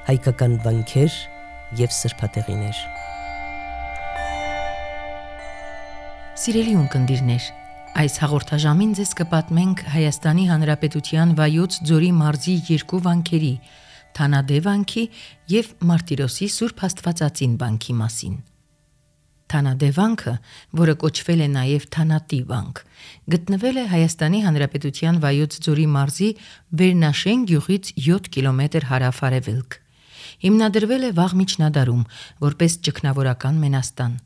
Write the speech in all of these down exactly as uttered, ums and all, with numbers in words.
հայկական վանքեր և սրբատեղիներ։ Սիրելի ունկնդիրներ, այս հաղորդաժամին ձեզ կպատմենք Հայաստանի Հանրապետության Վայոց ձորի մարզի երկու վանքերի՝ Թանադե վանքի և Մարտիրոսի Սուրբ Աստվածածին վանքի մասին։ Թանադե վանքը, որը կոչվել է նաև Թանատի վանք, գտնվել է Հայաստանի Հանրապետության Վայոց ձորի մարզի Վերնաշեն գյուղից յոթ կիլոմետր հարավ-արևելք։ Հիմնադրվել է վաղ միջնադարում, որպես ճգնավորական մենաստան։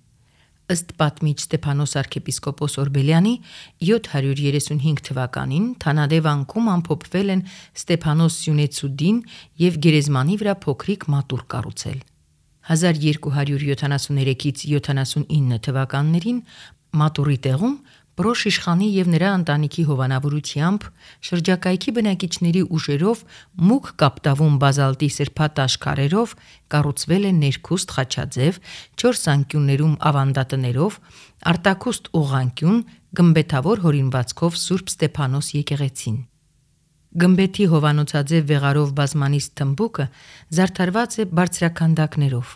Ըստ պատմիչ Ստեփանոս arczepiskopos Օրբելյանի, յոթ հարյուր երեսունհինգ թվականին Թանադե վանքում ամփոփվել են Ստեփանոս Սյունեցուդին և գերեզմանի վրա փոքրիկ մատուռ կառուցել։ հազար երկու հարյուր յոթանասուներեքից յոթանասունինը թվականներին մատուռի տեղում Պրոշ իշխանի և նրա ընտանիքի հովանավորությամբ շրջակայքի բնակիչների ուժերով մուգ կապտավուն բազալտի սրբատաշ քարերով կառուցվել է ներքուստ խաչաձև, չորս անկյուններում ավանդատներով, արտաքուստ ուղղանկյուն, գմբեթավոր հորինվածքով Սուրբ Ստեփանոս եկեղեցին։ Գմբեթի հովանոցաձև վեղարով բազմանիստ թմբուկը զարդարված է բարձրաքանդակներով։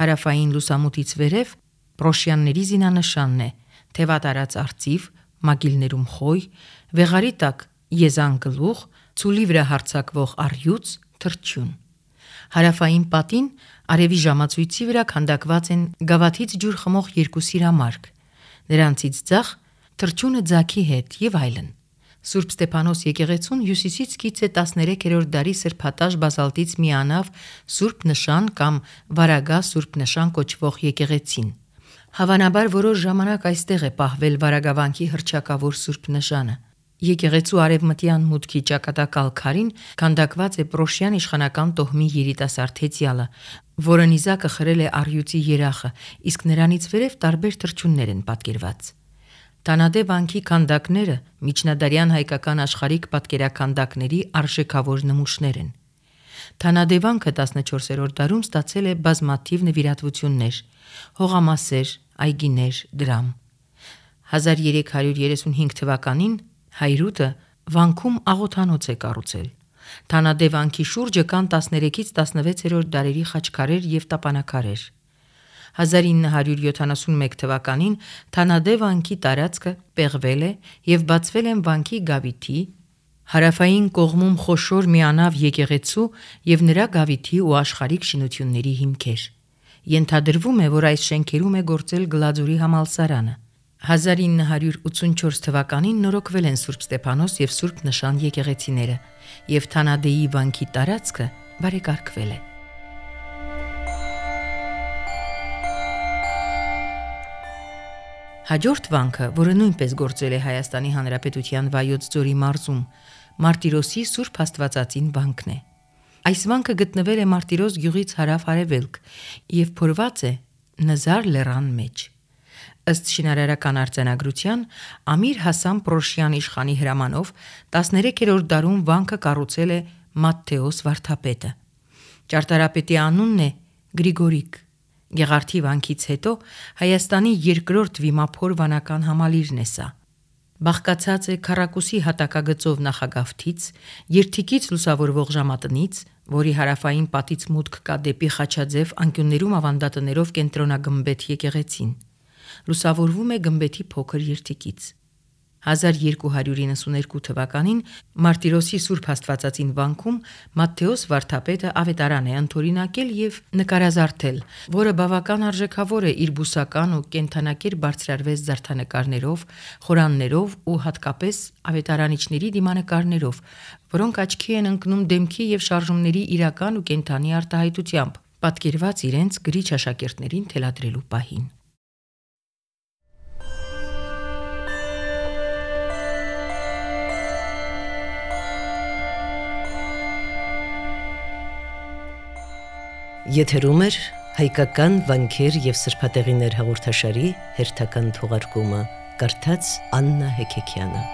Հարավային լուսամուտից վերև Պրոշյանների զինանշանն է՝ թևատարած արծիվ, մագիլներում խոյ, վեղարի տակ եզան գլուխ, ցուլի վրա հարձակվող առյուծ, թռչյուն։ Հարավային պատին արևի ժամացույցի վրա քանդակված են գավաթից ջուր խմող երկու սիրամարգ, նրանցից ձախ թռչյունը ձագի հետ և այլն։ Սուրբ Ստեփանոս եկեղեցուն հյուսիսից կից է տասներեքերորդ դարի սրբատաշ բազալտից մի անավ Սուրբ Նշան կամ Վարագա Սուրբ Նշան կոչվող եկեղեցին։ Հավանաբար որոշ ժամանակ այստեղ է պահվել Վարագավանքի հռչակավոր Սուրբ Նշանը։ Եկեղեցու արևմտյան մուտքի ճակատակալ քարին քանդակված է Պրոշյան իշխանական տոհմի երիտասարդ հեծյալը, որը նիզակը խրել է առյուծի երախը, իսկ նրանից վերև տարբեր թռչյուններ են պատկերված։ Թանադե վանքի քանդակները միջնադարյան հայկական աշխարհիկ պատկերաքանդակների արժեքավոր նմուշներ են։ Թանադե վանքը տասնչորսերորդ դարում ստացել է բազմաթիվ նվիրատվություններ՝ հողամասեր, այգիներ, դրամ։ հազար երեք հարյուր երեսունհինգ թվականին Հայրուտը վանքում աղոթանոց է կառուցել։ Թանադե վանքի շուրջը կան տասներեքից տասնվեցերորդ դարերի խաչքարեր և տապանաքարեր։ հազար ինը հարյուր յոթանասունմեկ թվականին Թանադե վանքի տարածքը պեղվել է և բացվել են վանքի գավիթի, հարավային կողմում խոշոր միանավ եկեղեցու և նրա գավիթի ու աշխարհիկ շինությունների հիմքեր։ Ենթադրվում է, որ այս շենքերում է գործել Գլաձորի համալսարանը։ հազար ինը հարյուր ութսունչորս թվականին նորոգվել են Սուրբ Ստեփանոս և Սուրբ Նշան եկեղեցիները, և Թանադեի վանքի տարածքը բարեկարգվել է։ Հաջորդ վանքը, որը նույնպես գործել է Հայաստանի Հանրապետության Վայոց ձորի մարզում, Մարտիրոսի Սուրբ Աստվածածին վանքն է։ Այս վանքը գտնվել է Մարտիրոս գյուղից հարավ-արևելք և փորված է Նզար լեռան մեջ։ Ըստ շինարարական արձանագրության, Ամիր Հասան Պրոշյան իշխանի հրամանով տասներեքերորդ դարում վանքը կառուցել է Մատթեոս վարդապետը։ Ճարտարապետի անունն է Գրիգորիկ։ Գեղարդի վանքից հետո Հայաստանի երկրորդ վիմափոր վանական համալիրն է սա։ Բաղկացած է քառակուսի հատակագծով նախագավթից, երթիկից լուսավորվող ժամատնից, որի հարավային պատից մուտք կա դեպի խաչաձև անկյուններում ավանդատներով կենտրոնագմբեթ եկեղեցին։ Լուսավորվում է գմբեթի փոքր երթիկից։ հազար երկու հարյուր իննսուներկու թվականին Մարտիրոսի Սուրբ Աստվածածին վանքում Մատթեոս վարդապետը ավետարան է ընդօրինակել և նկարազարդել, որը բավական արժեքավոր է իր բուսական ու կենդանակերպ բարձրարվեст զարդանկարներով, խորաններով ու հատկապես ավետարանիչների դիմանկարներով, որոնք աչքի են ընկնում դեմքի և շարժումների իրական ու կենդանի արտահայտությամբ, պատկերված իրենց գրիչ աշակերտներին թելադրելու պահին։ Եթերում է հայկական վանքեր և սրբատեղիներ հաղորդաշարի հերթական թողարկումը, կարդաց Աննա Հեքեքյանը։